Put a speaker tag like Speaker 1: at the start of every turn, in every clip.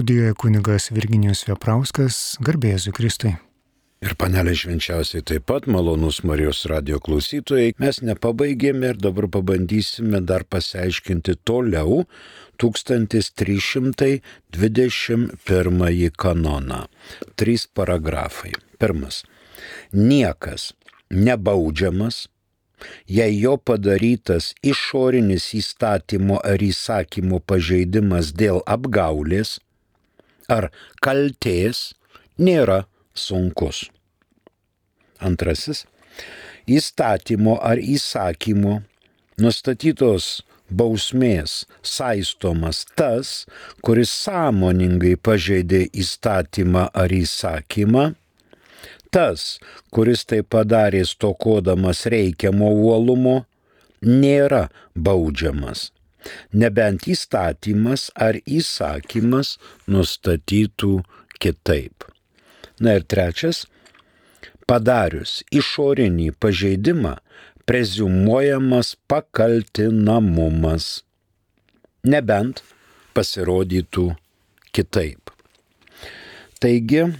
Speaker 1: Studijoje kunigas Virginijus Veprauskas, garbė Jėzui Kristui.
Speaker 2: Ir panelė švenčiausiai taip pat, malonus Marijos radijo klausytojai, mes nepabaigėme ir dabar pabandysime dar pasiaiškinti toliau 1321 kanoną. 3 paragrafai. Pirmas. Niekas nebaudžiamas, jei jo padarytas išorinis įstatymo ar įsakymo pažeidimas dėl apgaulės ar kaltės nėra sunkus. Antrasis. Įstatymo ar įsakymo nustatytos bausmės saistomas tas, kuris sąmoningai pažeidė įstatymą ar įsakymą, tas, kuris tai padarė stokodamas reikiamo uolumo, nėra baudžiamas, nebent įstatymas ar įsakymas nustatytų kitaip. Na ir trečias, padarius išorinį pažeidimą, preziumuojamas pakaltinamumas, nebent pasirodytų kitaip. Taigi,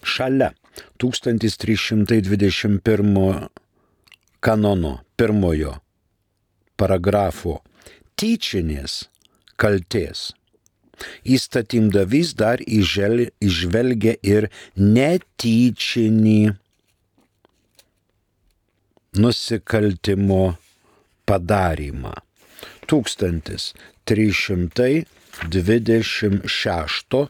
Speaker 2: šalia 1321 kanono 1 paragrafo tyčinės kaltės įstatymdavys dar įžvelgia ir netyčinį nusikaltimo padarymą. 1326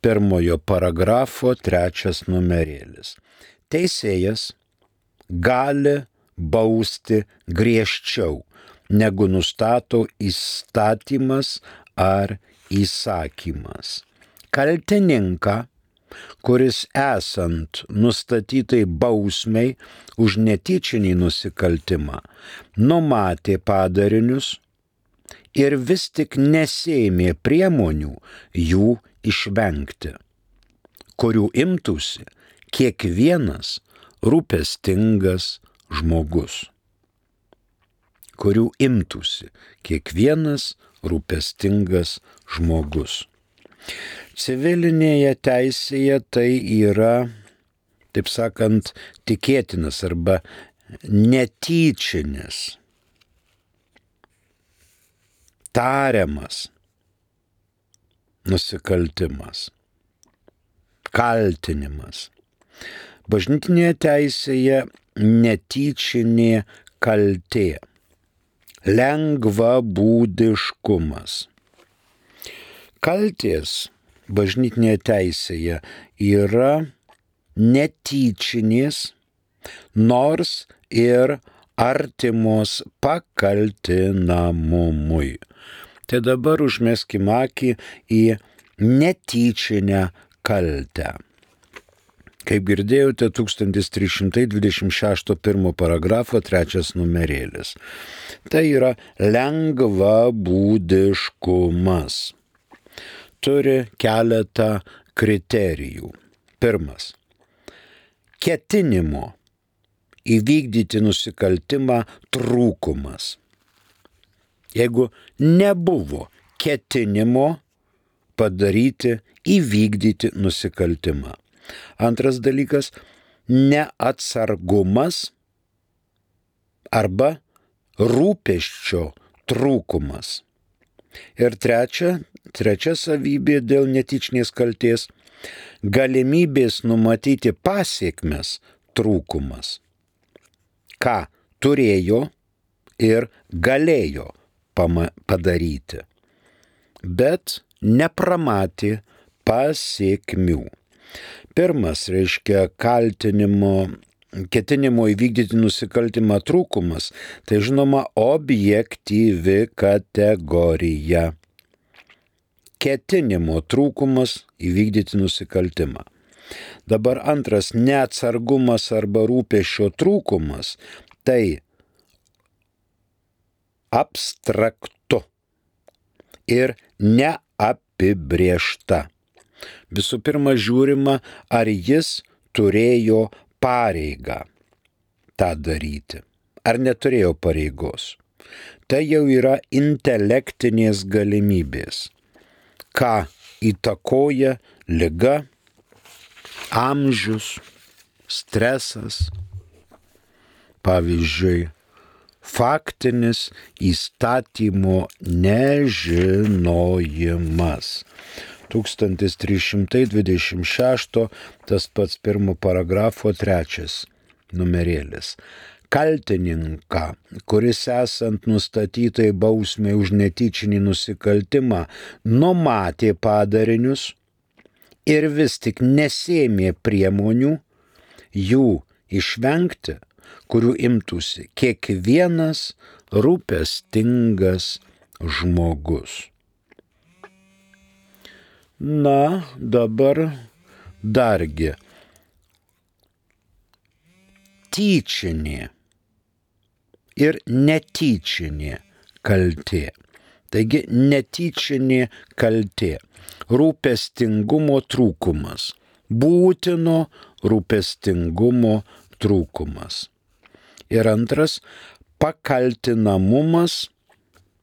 Speaker 2: 1 paragrafo 3 numerėlis. Teisėjas gali bausti griežčiau, negu nustato įstatymas ar įsakymas. Kaltininką, kuris esant nustatytai bausmei už netyčinį nusikaltimą, numatė padarinius ir vis tik nesėmė priemonių jų išvengti, kurių imtųsi kiekvienas rūpestingas žmogus. Kurių imtųsi kiekvienas rūpestingas žmogus. Civilinėje teisėje tai yra, taip sakant, tikėtinas arba netyčinis, tariamas nusikaltimas, kaltinimas. Bažnytinėje teisėje netyčinė kaltė, lengvabūdiškumas. Kaltės bažnytinėje teisėje yra netyčinės, nors ir artimos pakaltinamumui. Tai dabar užmeskim akį į netyčinę kaltę. Kaip girdėjote, 1326 1 paragrafo 3 numerėlis. Tai yra lengvabūdiškumas. Turi keletą kriterijų. Pirmas. Ketinimo įvykdyti nusikaltimą trūkumas. Jeigu nebuvo ketinimo padaryti, įvykdyti nusikaltimą. Antras dalykas – neatsargumas arba rūpesčio trūkumas. Ir trečia savybė dėl netyčinės kaltės – galimybės numatyti pasiekmes trūkumas. Ką turėjo ir galėjo padaryti, bet nepramatė pasiekmių. Pirmas reiškia ketinimo įvykdyti nusikaltimą trūkumas, tai žinoma objektyvi kategorija. Ketinimo trūkumas įvykdyti nusikaltimą. Dabar antras neatsargumas arba rūpesčio trūkumas, tai abstraktu ir neapibrėžta. Visų pirma, žiūrima, ar jis turėjo pareigą tą daryti, ar neturėjo pareigos. Tai jau yra intelektinės galimybės. Ką įtakoja liga, amžius, stresas, pavyzdžiui, faktinis įstatymo nežinojimas. 1326, tas pats 1 paragrafo 3 numerėlis. Kaltininką, kuris esant nustatytai bausmei už netyčinį nusikaltimą numatė padarinius ir vis tik nesėmė priemonių jų išvengti, kurių imtųsi kiekvienas rūpestingas žmogus. Na, dabar dargi tyčinė ir netyčinė kaltė. Taigi netyčinė kaltė. Rūpestingumo trūkumas. Būtino rūpestingumo trūkumas. Ir antras, pakaltinamumas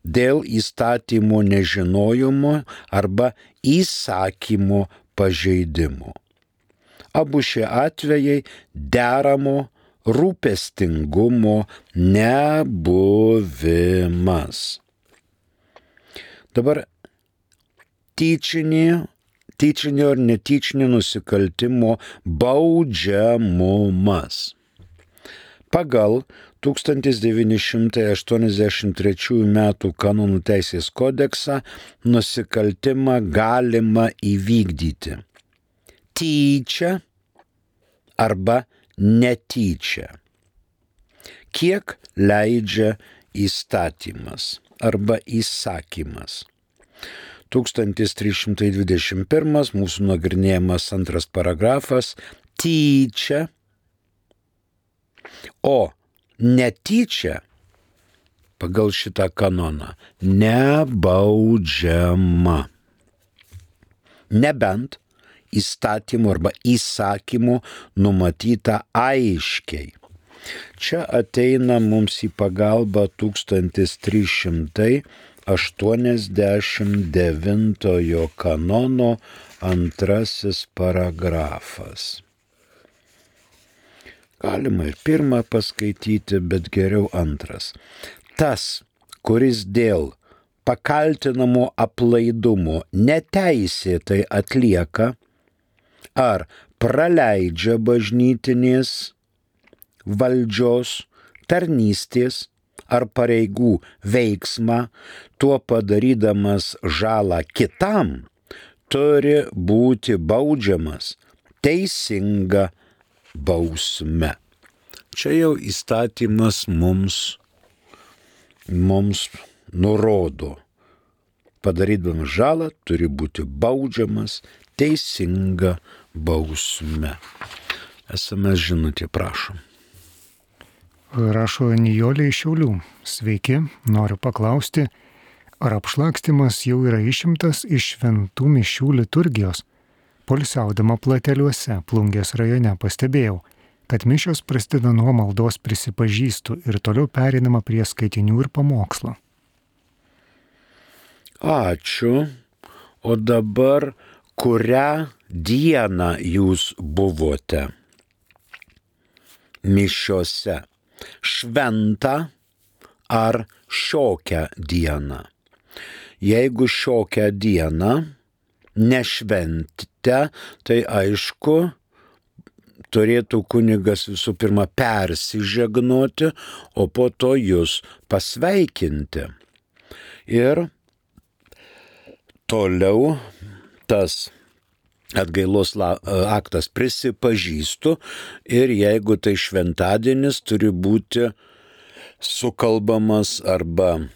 Speaker 2: dėl įstatymo nežinojimo arba įsakymo pažeidimo. Abu šie atvejai deramo rūpestingumo nebuvimas. Dabar tyčinio ir netyčinio nusikaltimo baudžiamumas. Pagal 1983 m. kanonų teisės kodeksą nusikaltimą galima įvykdyti tyčia arba netyčia, kiek leidžia įstatymas arba įsakymas. 1321 mūsų nagrinėjamas 2 paragrafas tyčia, o netyčia pagal šitą kanoną nebaudžiama. Nebent įstatymu arba įsakymu numatyta aiškiai. Čia ateina mums į pagalbą 1389 kanono 2 paragrafas. Galima ir 1 paskaityti, bet geriau 2. Tas, kuris dėl pakaltinamo aplaidumo neteisėtai atlieka ar praleidžia bažnytinės valdžios, tarnystės ar pareigų veiksmą, tuo padarydamas žalą kitam, turi būti baudžiamas teisinga bausme. Čia jau įstatymas mums nurodo. Padarydamas žalą turi būti baudžiamas teisinga bausme. SMS žinutė, prašom.
Speaker 1: Rašo Nijolė iš Šiaulių. Sveiki, noriu paklausti, ar apšlakstymas jau yra išimtas iš šventų mišių liturgijos? Poilsiaudama Plateliuose, Plungės rajone, pastebėjau, kad mišios prasideda nuo maldos prisipažįstu ir toliau pereinama prie skaitinių ir pamokslo.
Speaker 2: Ačiū. O dabar kurią dieną jūs buvote mišiose? Šventą ar šiokią dieną? Jeigu šiokią dieną nešventite, tai aišku, turėtų kunigas visų pirma persižegnoti, o po to jūs pasveikinti. Ir toliau tas atgailos aktas prisipažįstu ir jeigu tai šventadienis, turi būti sukalbamas arba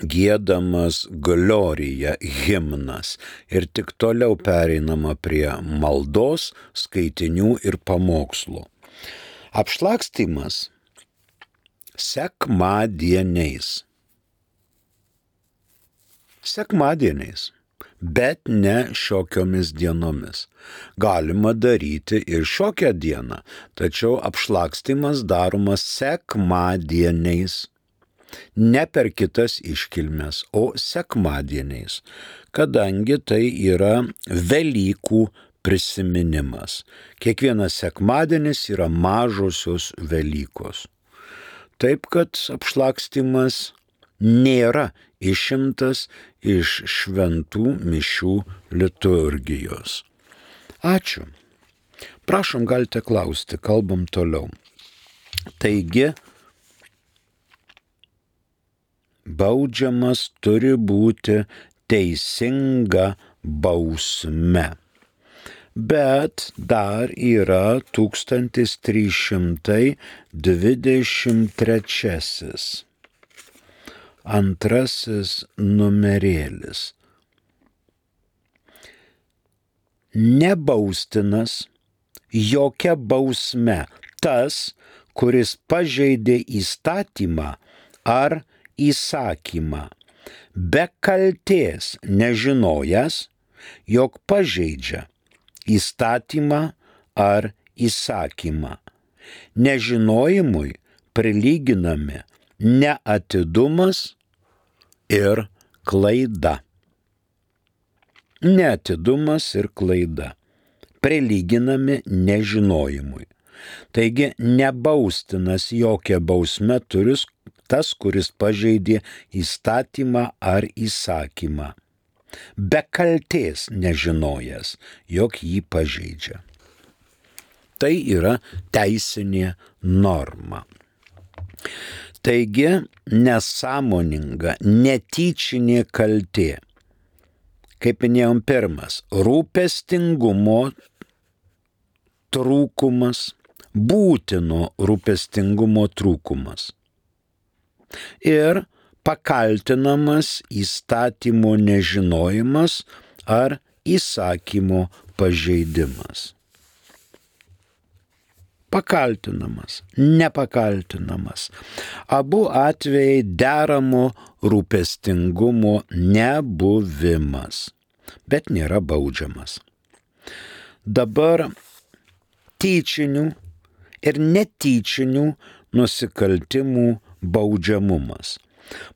Speaker 2: giedamas Glorija himnas ir tik toliau pereinama prie maldos, skaitinių ir pamokslo. Apšlakstymas sekmadieniais. Bet ne šiokiomis dienomis. Galima daryti ir šiokią dieną, tačiau apšlakstymas daromas sekmadieniais. ne per kitas iškilmes, o sekmadieniais, kadangi tai yra Velykų prisiminimas. Kiekvienas sekmadienis yra mažosios Velykos. Taip, kad apšlakstymas nėra išimtas iš šventų mišių liturgijos. Ačiū. Prašom, galite klausti, kalbam toliau. Taigi, baudžiamas turi būti teisinga bausme. Bet dar yra 1323 antrasis numerėlis. Nebaustinas jokia bausme tas, kuris pažeidė įstatymą ar įsakymą, be kaltės nežinojęs, jog pažeidžia įstatymą ar įsakymą. Nežinojimui prilyginami neatidumas ir klaida. Neatidumas ir klaida prilyginami nežinojimui. Taigi nebaustinas jokia bausme turi tas, kuris pažeidė įstatymą ar įsakymą, be kaltės nežinojęs, jog jį pažeidžia. Tai yra teisinė norma. Taigi nesąmoninga, netyčinė kaltė. Kaip minėjom, pirmas – rūpestingumo trūkumas, būtino rūpestingumo trūkumas. Ir pakaltinamas įstatymo nežinojimas ar įsakymo pažeidimas. Pakaltinamas, nepakaltinamas. Abu atvejai deramo rūpestingumo nebuvimas, bet nėra baudžiamas. Dabar tyčinių ir netyčinių nusikaltimų baudžiamumas.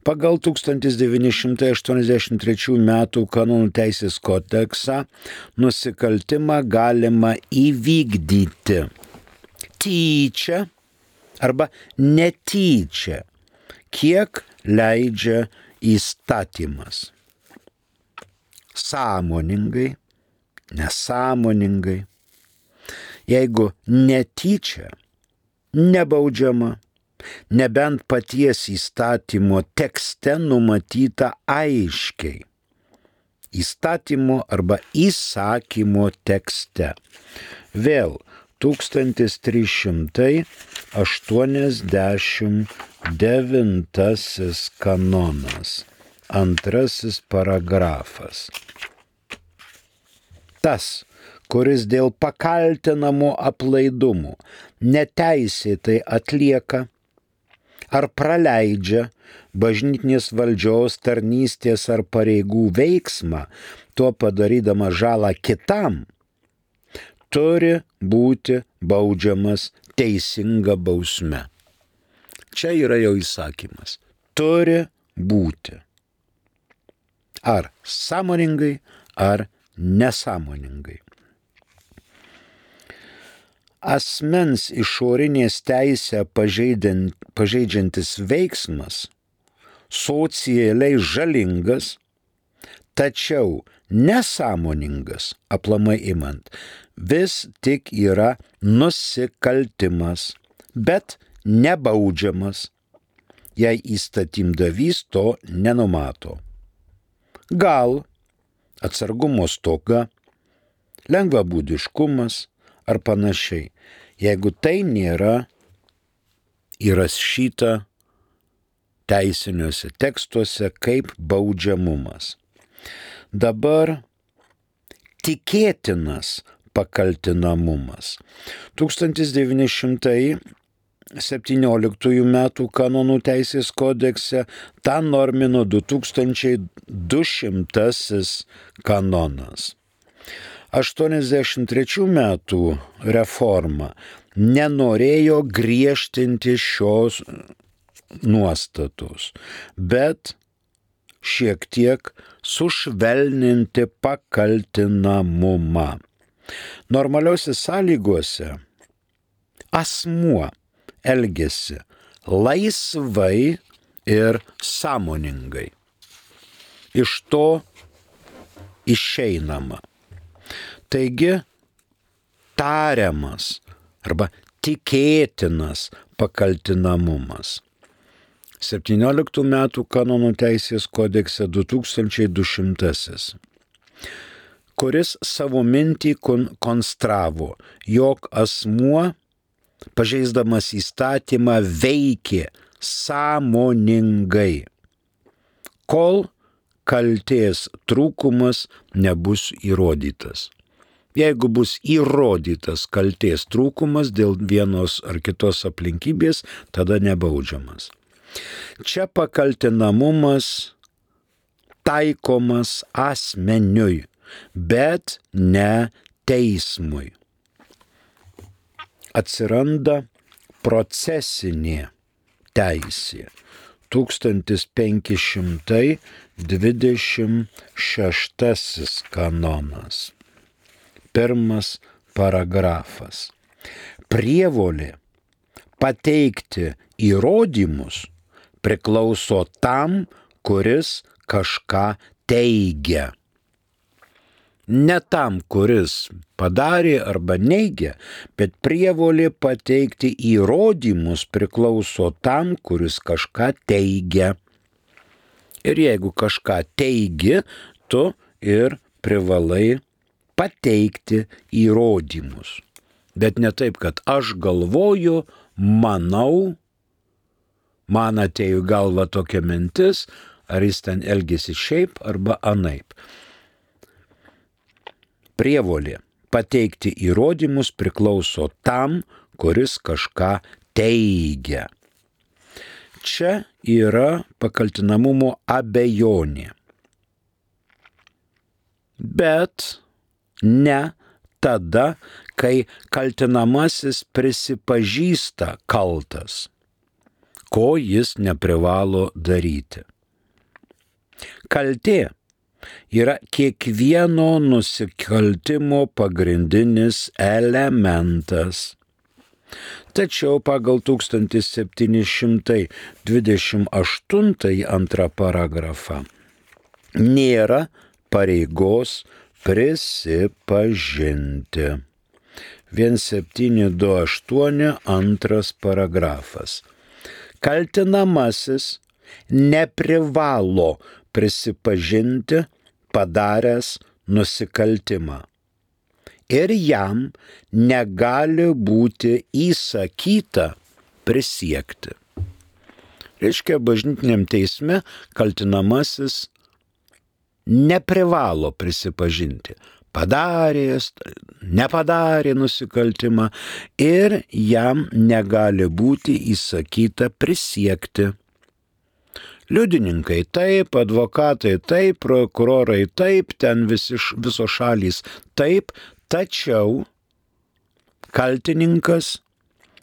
Speaker 2: Pagal 1983 metų kanonų teisės kodeksą nusikaltimą galima įvykdyti tyčia arba netyčia, kiek leidžia įstatymas. Sąmoningai, nesąmoningai. Jeigu netyčia, nebaudžiama, nebent paties įstatymo tekste numatyta aiškiai. Įstatymo arba įsakymo tekste. Vėl 1389 kanonas, antrasis paragrafas. Tas, kuris dėl pakaltinamo aplaidumo neteisėtai atlieka ar praleidžia bažnytinės valdžios, tarnystės ar pareigų veiksmą, tuo padarydama žalą kitam, turi būti baudžiamas teisinga bausme. Čia yra jau įsakymas. Turi būti. Ar sąmoningai, ar nesąmoningai. Asmens išorinės teisę pažeidžiantis veiksmas socialiai žalingas, tačiau nesąmoningas, aplamai imant, vis tik yra nusikaltimas, bet nebaudžiamas, jei įstatymdavys to nenumato. Gal atsargumo stoka, lengvabūdiškumas ar panašiai, jeigu tai nėra įrašyta teisiniuose tekstuose kaip baudžiamumas. Dabar tikėtinas pakaltinamumas. 1917 metų kanonų teisės kodekse tą normino 2200 kanonas. 83 metų reforma nenorėjo griežtinti šios nuostatos, bet šiek tiek sušvelninti pakaltinamumą. Normaliuose sąlygose asmuo elgiasi laisvai ir sąmoningai. Iš to išeinama. Taigi, tariamas arba tikėtinas pakaltinamumas. 17 metų kanonų teisės kodekse 2200, kuris savo mintį konstravo, jog asmuo, pažeisdamas įstatymą, veikė sąmoningai, kol kaltės trūkumas nebus įrodytas. Jeigu bus įrodytas kaltės trūkumas dėl vienos ar kitos aplinkybės, tada nebaudžiamas. Čia pakaltinamumas taikomas asmeniui, bet ne teismui. Atsiranda procesinė teisė. 1526 kanonas. 1 paragrafas. Prievolė pateikti įrodymus priklauso tam, kuris kažką teigia. Ne tam, kuris padarė arba neigia, bet prievolė pateikti įrodymus priklauso tam, kuris kažką teigia. Ir jeigu kažką teigi, tu ir privalai pateikti įrodymus. Bet ne taip, kad aš galvoju, manau, man atėjo galva tokia mintis, ar jis ten elgėsi šiaip arba anaip. Prievolė pateikti įrodymus priklauso tam, kuris kažką teigia. Čia yra pakaltinamumo abejonė. Bet ne tada, kai kaltinamasis prisipažįsta kaltas, ko jis neprivalo daryti. Kaltė yra kiekvieno nusikaltimo pagrindinis elementas. Tačiau pagal 1728 antrą paragrafą nėra pareigos prisipažinti. 1728 antras paragrafas. Kaltinamasis neprivalo prisipažinti padaręs nusikaltimą. Ir jam negali būti įsakyta prisiekti. Reiškia, bažnytiniam teisme kaltinamasis neprivalo prisipažinti. Padaręs, nepadarė nusikaltimą ir jam negali būti įsakyta prisiekti. Liudininkai taip, advokatai taip, prokurorai taip, ten visos šalys taip, tačiau kaltininkas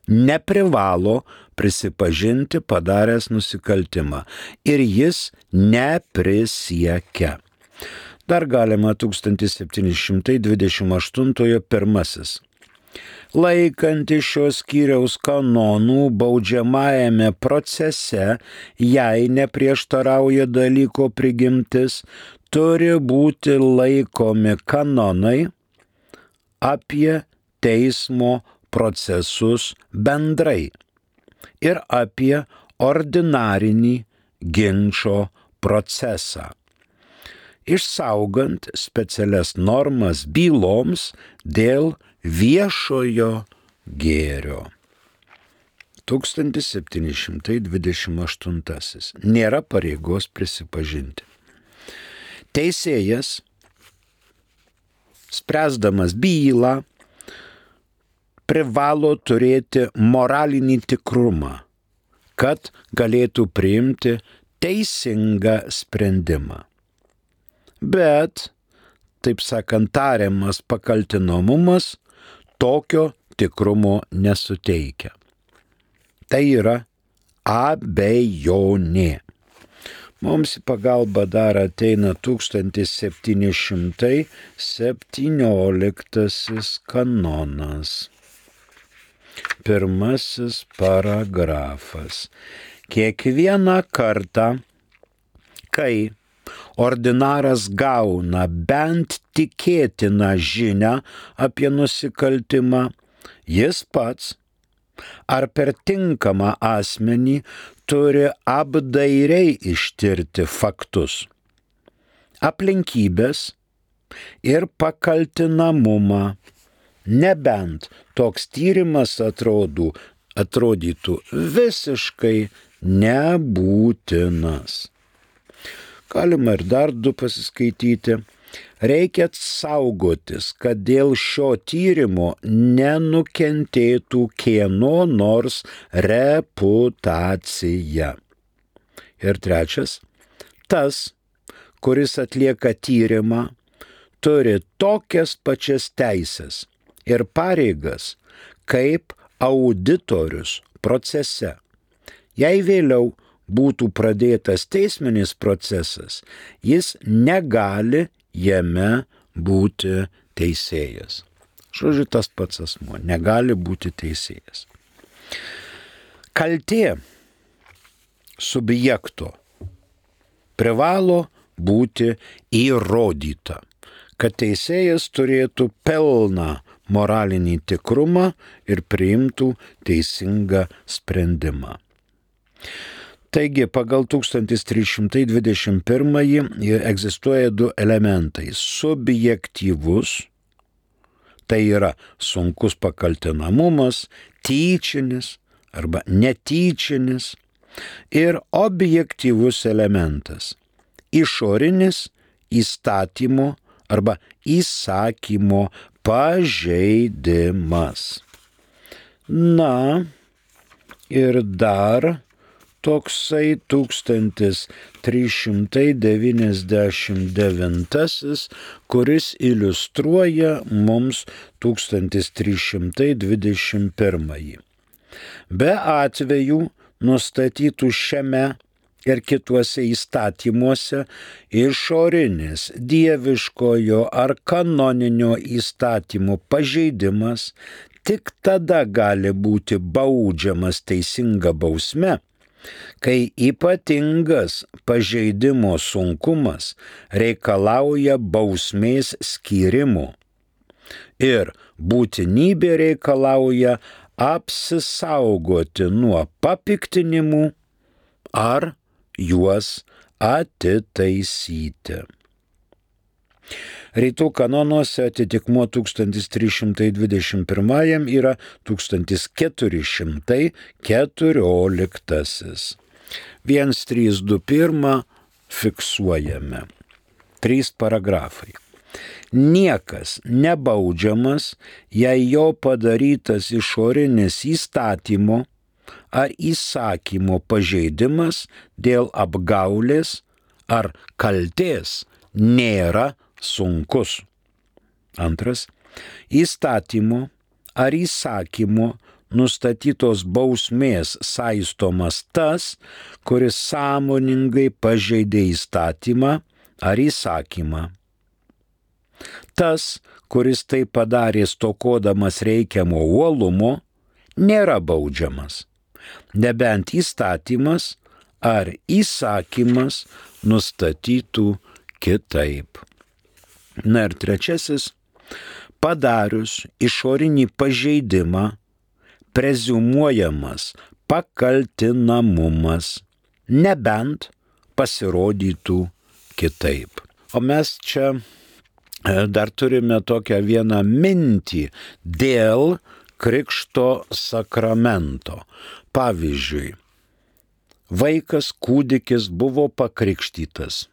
Speaker 2: neprivalo prisipažinti padaręs nusikaltimą ir jis neprisiekia. Dar galima 1728 pirmasis. Laikantis šios skyriaus kanonų baudžiamajame procese, jei neprieštarauja dalyko prigimtis, turi būti laikomi kanonai apie teismo procesus bendrai ir apie ordinarinį ginčo procesą, išsaugant specialias normas byloms dėl viešojo gėrio. 1728. Nėra pareigos prisipažinti. Teisėjas, spręsdamas bylą, privalo turėti moralinį tikrumą, kad galėtų priimti teisingą sprendimą. Bet, taip sakant, tariamas pakaltinamumas tokio tikrumo nesuteikia. Tai yra abejonė. Mums į pagalbą dar ateina 1717 kanonas. Pirmasis paragrafas. Kiekvieną kartą, kai ordinaras gauna bent tikėtiną žinią apie nusikaltimą, jis pats ar per tinkamą asmenį turi apdairiai ištirti faktus, aplinkybės ir pakaltinamumą, nebent toks tyrimas atrodytų visiškai nebūtinas. Galima ir dar du pasiskaityti. Reikia saugotis, kad dėl šio tyrimo nenukentėtų kieno nors reputacija. Ir trečias, tas, kuris atlieka tyrimą, turi tokias pačias teisės ir pareigas kaip auditorius procese. Jei vėliau būtų pradėtas teisminis procesas, jis negali jame būti teisėjas. Žodžiu, tas pats asmuo negali būti teisėjas. Kaltė subjekto privalo būti įrodyta, kad teisėjas turėtų pilną moralinį tikrumą ir priimtų teisingą sprendimą. Taigi, pagal 1321 egzistuoja du elementai. Subjektyvus, tai yra sunkus pakaltinamumas, tyčinis arba netyčinis, ir objektyvus elementas. Išorinis įstatymo arba įsakymo pažeidimas. Na, ir dar toksai 1399, kuris iliustruoja mums 1321. Be atvejų nustatytų šiame ir kituose įstatymuose išorinis dieviškojo ar kanoninio įstatymo pažeidimas tik tada gali būti baudžiamas teisinga bausme, kai ypatingas pažeidimo sunkumas reikalauja bausmės skyrimo ir būtinybė reikalauja apsisaugoti nuo papiktinimų ar juos atitaisyti. Rytų kanonuose atitikmuo 1321 yra 1414. 1321 fiksuojame. 3 paragrafai. Niekas nebaudžiamas, jei jo padarytas išorinis įstatymo ar įsakymo pažeidimas dėl apgaulės ar kaltės nėra sunkus. Antras, įstatymo ar įsakymo nustatytos bausmės saistomas tas, kuris sąmoningai pažeidė įstatymą ar įsakymą. Tas, kuris tai padarė stokodamas reikiamo uolumo, nėra baudžiamas, nebent įstatymas ar įsakymas nustatytų kitaip. Na ir trečiasis, padarius išorinį pažeidimą, preziumuojamas pakaltinamumas, nebent pasirodytų kitaip. O mes čia dar turime tokią vieną mintį dėl krikšto sakramento. Pavyzdžiui, vaikas, kūdikis buvo pakrikštytas.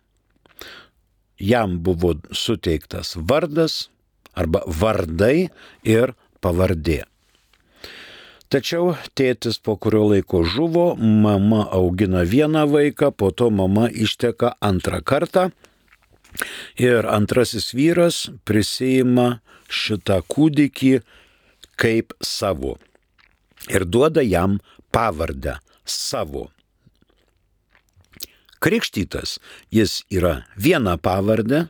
Speaker 2: Jam buvo suteiktas vardas arba vardai ir pavardė. Tačiau tėtis po kurio laiko žuvo, mama augina vieną vaiką, po to mama išteka antrą kartą ir antrasis vyras prisiima šitą kūdikį kaip savo ir duoda jam pavardę savo. Krikštytas jis yra viena pavardė,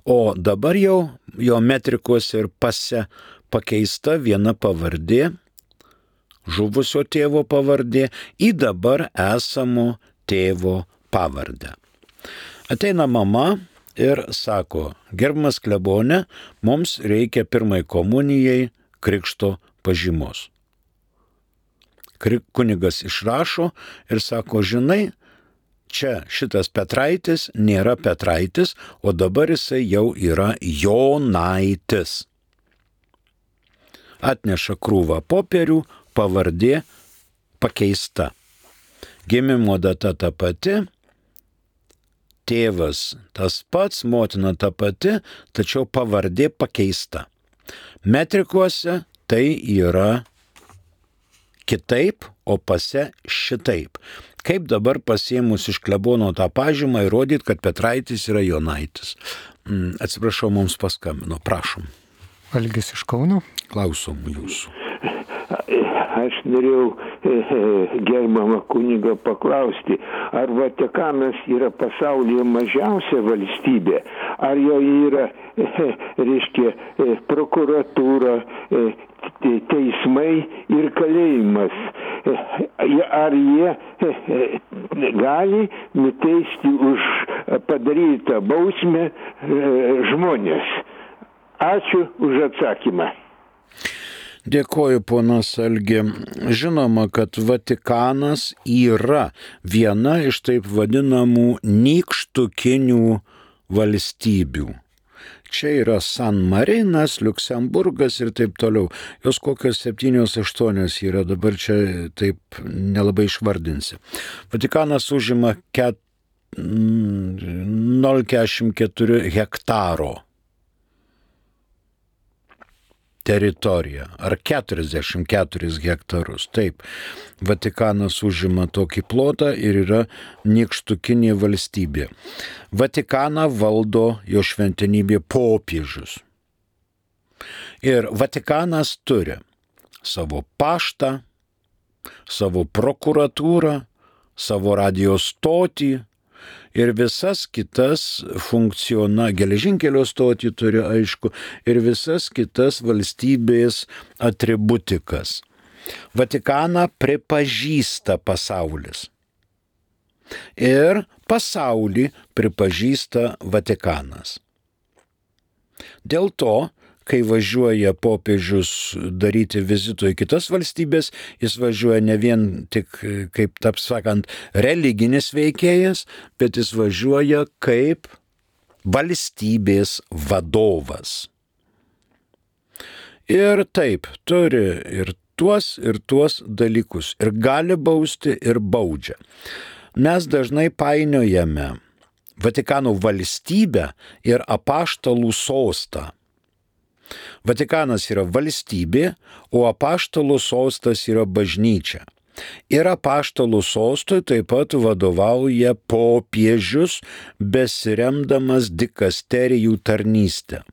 Speaker 2: o dabar jau jo metrikose ir pase pakeista viena pavardė, žuvusio tėvo pavardė, į dabar esamo tėvo pavardę. Ateina mama ir sako, gerbiamas klebone, mums reikia pirmai komunijai krikšto pažymos. Kunigas išrašo ir sako, žinai, čia šitas Petraitis nėra Petraitis, o dabar jisai jau yra Jonaitis. Atneša krūvą popierių, pavardė pakeista. Gimimo data ta pati, tėvas tas pats, motina ta pati, tačiau pavardė pakeista. Metrikuose tai yra kitaip, o pase šitaip. Kaip dabar pasiėmus iš klebono tą pažymą įrodyti, kad Petraitis yra Jonaitis? Atsiprašau, mums paskambino, prašom.
Speaker 1: Algis iš Kauno.
Speaker 2: Klausom jūsų.
Speaker 3: Aš norėjau gerbiamą kunigą paklausti, ar Vatikanas yra pasaulyje mažiausia valstybė, ar jo yra, reiškia, prokuratūra, teismai ir kalėjimas. Ar jie gali nuteisti už padarytą bausmę žmonės? Ačiū už atsakymą.
Speaker 2: Dėkoju, ponas Algi. Žinoma, kad Vatikanas yra viena iš taip vadinamų nykštukinių valstybių. Čia yra San Marinas, Liuksemburgas ir taip toliau. Jos kokios 7-8 yra, dabar čia taip nelabai išvardinsi. Vatikanas užima 0,44 hektaro teritoriją, ar 44 hektarus. Taip, Vatikanas užima tokį plotą ir yra nykštukinė valstybė. Vatikaną valdo jo šventenybė popiežius. Ir Vatikanas turi savo paštą, savo prokuratūrą, savo radijo stotį, ir visas kitas geležinkelio stotį turi, aišku, ir visas kitas valstybės atributikas. Vatikaną pripažįsta pasaulis. Ir pasaulį pripažįsta Vatikanas. Dėl to, kai važiuoja popiežius daryti vizito į kitas valstybės, jis važiuoja ne vien tik, kaip taip sakant, religinis veikėjas, bet jis važiuoja kaip valstybės vadovas. Ir taip, turi ir tuos dalykus. Ir gali bausti, ir baudžia. Mes dažnai painiojame Vatikano valstybę ir apaštalų sostą. Vatikanas yra valstybė, o apaštalų sostas yra bažnyčia. Ir apaštalų sostui taip pat vadovauja popiežius, besiremdamas dikasterijų tarnystę.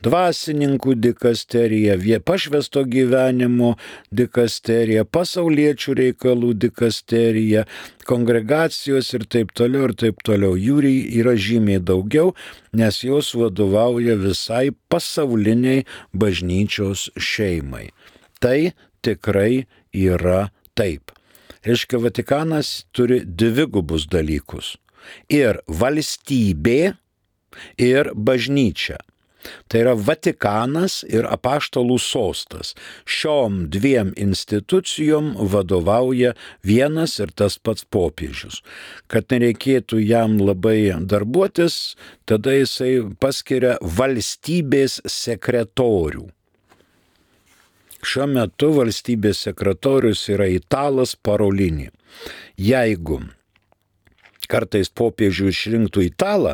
Speaker 2: Dvasininkų dikasterija, pašvęsto gyvenimo dikasterija, pasauliečių reikalų dikasterija, kongregacijos ir taip toliau, ir taip toliau. Jų yra žymiai daugiau, nes jos vadovauja visai pasauliniai bažnyčios šeimai. Tai tikrai yra taip. Reiškia, Vatikanas turi dvigubus dalykus. Ir valstybė, ir bažnyčia. Tai yra Vatikanas ir apaštalų sostas. Šiom dviem institucijom vadovauja vienas ir tas pats popiežius. Kad nereikėtų jam labai darbuotis, tada jisai paskiria valstybės sekretorių. Šiuo metu valstybės sekretorius yra italas Parolini. Jeigu kartais popiežių išrinktų italą,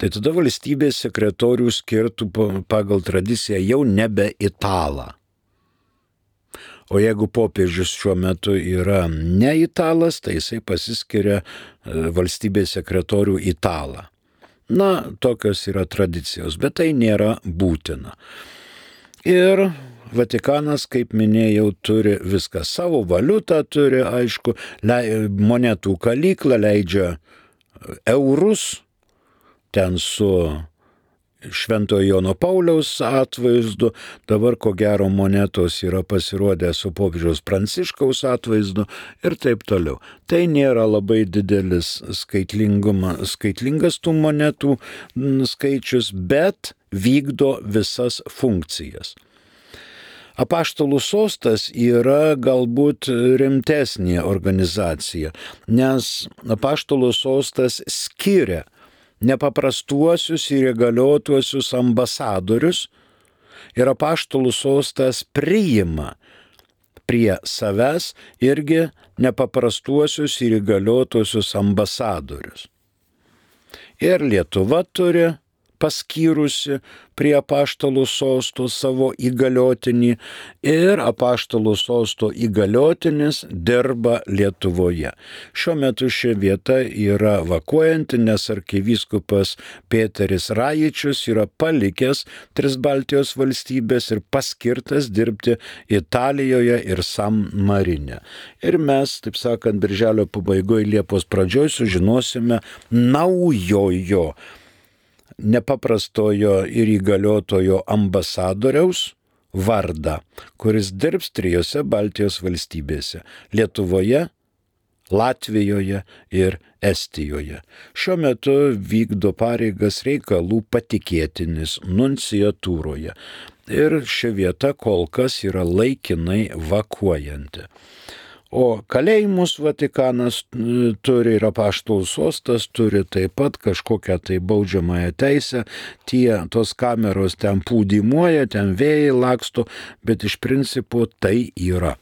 Speaker 2: tai tada valstybės sekretorių skirtų pagal tradiciją jau nebe italą. O jeigu popiežius šiuo metu yra ne italas, tai jisai pasiskiria valstybės sekretorių italą. Na, tokios yra tradicijos, bet tai nėra būtina. Ir Vatikanas, kaip minėjau, turi viską. Savo valiutą turi, aišku, monetų kalyklą, leidžia eurus, ten su Šventojo Jono Pauliaus atvaizdu, dabar ko gero monetos yra pasirodę su popiežiaus Pranciškaus atvaizdu ir taip toliau. Tai nėra labai didelis skaitlingas tų monetų skaičius, bet vykdo visas funkcijas. Apaštalų sostas yra galbūt rimtesnė organizacija, nes Apaštalų sostas skiria nepaprastuosius ir įgaliotuosius ambasadorius ir Apaštalų sostas priima prie savęs irgi nepaprastuosius ir įgaliotuosius ambasadorius. Ir Lietuva turi paskyrusi prie Apaštalų sosto savo įgaliotinį ir Apaštalų sosto įgaliotinis dirba Lietuvoje. Šiuo metu ši vieta yra vakuojanti, nes arkivyskupas Pėteris Rajičius yra palikęs 3 Baltijos valstybės ir paskirtas dirbti Italijoje ir San Marine. Ir mes, taip sakant, birželio pabaigoje, Liepos pradžioje sužinosime naujojo nepaprastojo ir įgaliotojo ambasadoriaus vardą, kuris dirbs 3 Baltijos valstybėse – Lietuvoje, Latvijoje ir Estijoje. Šiuo metu vykdo pareigas reikalų patikėtinis nunciatūroje ir ši vieta kol kas yra laikinai vakuojanti. O kalėjimus Vatikanas turi ir Apaštalų sostas turi taip pat kažkokią tai baudžiamąją teisę. Tos kameros ten pūdymuoja, ten vėjai laksto, bet iš principo tai yra.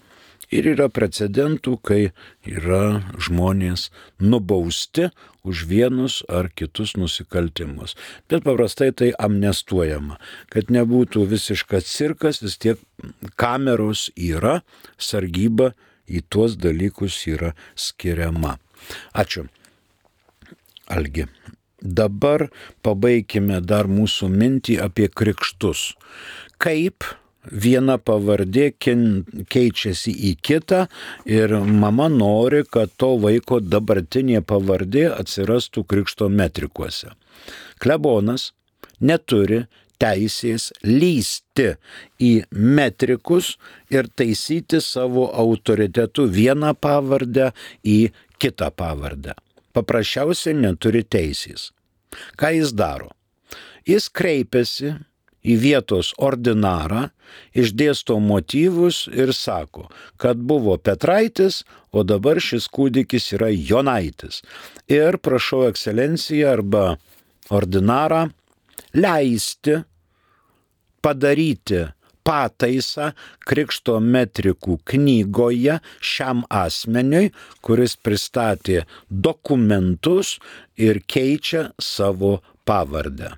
Speaker 2: Ir yra precedentų, kai yra žmonės nubausti už vienus ar kitus nusikaltimus. Bet paprastai tai amnestuojama. Kad nebūtų visiškas cirkas, vis tiek kameros yra, sargyba į tuos dalykus yra skiriama. Ačiū. Algi. Dabar pabaikime dar mūsų mintį apie krikštus. Kaip viena pavardė keičiasi į kitą ir mama nori, kad to vaiko dabartinė pavardė atsirastų krikšto metrikuose. Klebonas neturi teisės lysti į metrikus ir taisyti savo autoritetu vieną pavardę į kitą pavardę. Paprasčiausiai neturi teisės. Ką jis daro? Jis kreipiasi į vietos ordinarą, išdėsto motyvus ir sako, kad buvo Petraitis, o dabar šis kūdikis yra Jonaitis. Ir prašau ekscelenciją arba ordinarą leisti padaryti pataisą krikšto metrikų knygoje šiam asmeniui, kuris pristatė dokumentus ir keičia savo pavardę.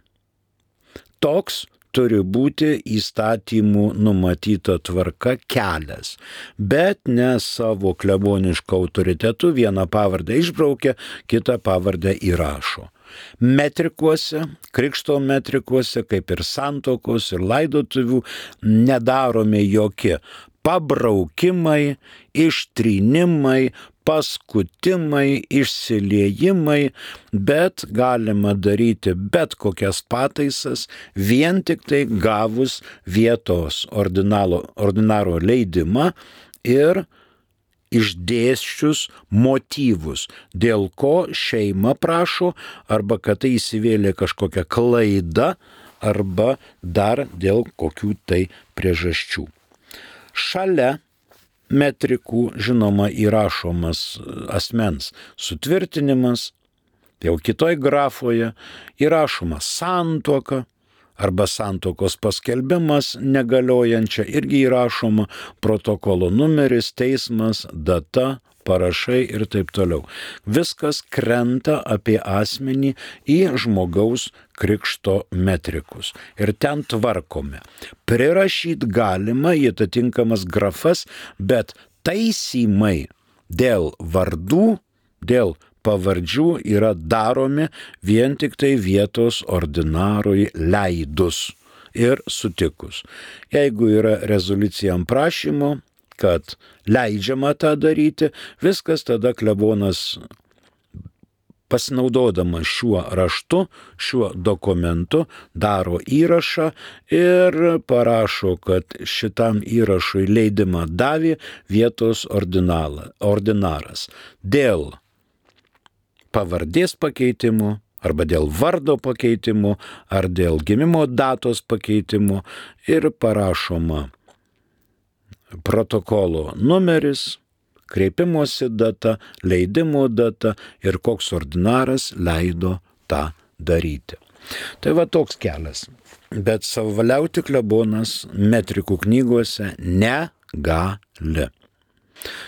Speaker 2: Toks turi būti įstatymų numatyta tvarka kelias, bet ne savo kleboniško autoritetu vieną pavardę išbraukia, kitą pavardę įrašo. Metrikuose, krikšto metrikuose, kaip ir santuokos ir laidotuvių, nedaromi jokie pabraukimai, ištrynimai, paskutimai, išsiliejimai, bet galima daryti bet kokias pataisas vien tik tai gavus vietos ordinaro leidimą ir išdėsčius motyvus, dėl ko šeima prašo, arba kad tai įsivėlė kažkokia klaida, arba dar dėl kokių tai priežasčių. Šalia metrikų, žinoma, įrašomas asmens sutvirtinimas, jau kitoj grafoje įrašoma santuoka, arba santuokos paskelbimas negaliojančia, irgi įrašoma protokolo numeris, teismas, data, parašai ir taip toliau. Viskas krenta apie asmenį į žmogaus krikšto metrikus. Ir ten tvarkome. Prirašyti galima į atitinkamas grafas, bet taisymai dėl vardų, dėl pavardžių yra daromi vien tik tai vietos ordinarui leidus. ir sutikus. Jeigu yra rezoliucija ant prašymo, kad leidžiama tą daryti, viskas tada klebonas pasinaudodamas šiuo raštu, šiuo dokumentu, daro įrašą ir parašo, kad šitam įrašui leidimą davė vietos ordinaras. Dėl pavardės pakeitimų, arba dėl vardo pakeitimų, ar dėl gimimo datos pakeitimų ir parašoma protokolo numeris, kreipimosi data, leidimo data ir koks ordinaras leido tą daryti. Tai va toks kelias. Bet savavaliauti klebonas metrikų knygose negali.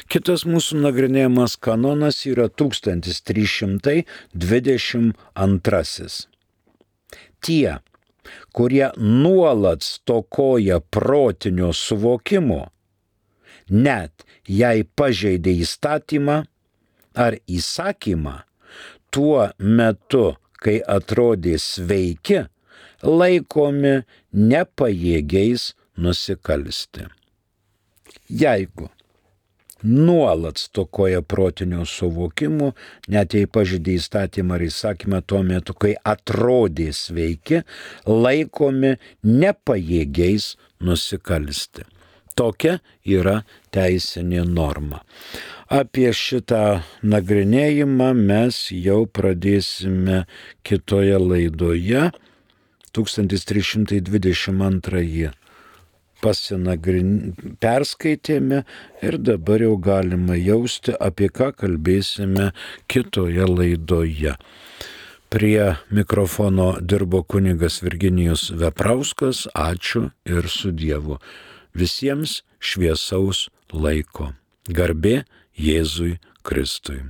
Speaker 2: Kitas mūsų nagrinėjamas kanonas yra 1322. Tie, kurie nuolat stokoja protinio suvokimo, net jei pažeidė įstatymą ar įsakymą, tuo metu, kai atrodė sveiki, laikomi nepajėgiais nusikalsti. Jeigu nuolat stokoja protinio suvokimo, net jei pažeidė įstatymą ar įsakymą, tuo metu, kai atrodė sveiki, laikomi nepajėgiais nusikalsti. Tokia yra teisinė norma. Apie šitą nagrinėjimą mes jau pradėsime kitoje laidoje. 1322 perskaitėme ir dabar jau galima jausti, apie ką kalbėsime kitoje laidoje. Prie mikrofono dirbo kunigas Virginijus Veprauskas. Ačiū ir su Dievu. Visiems šviesaus laiko. Garbė Jėzui Kristui.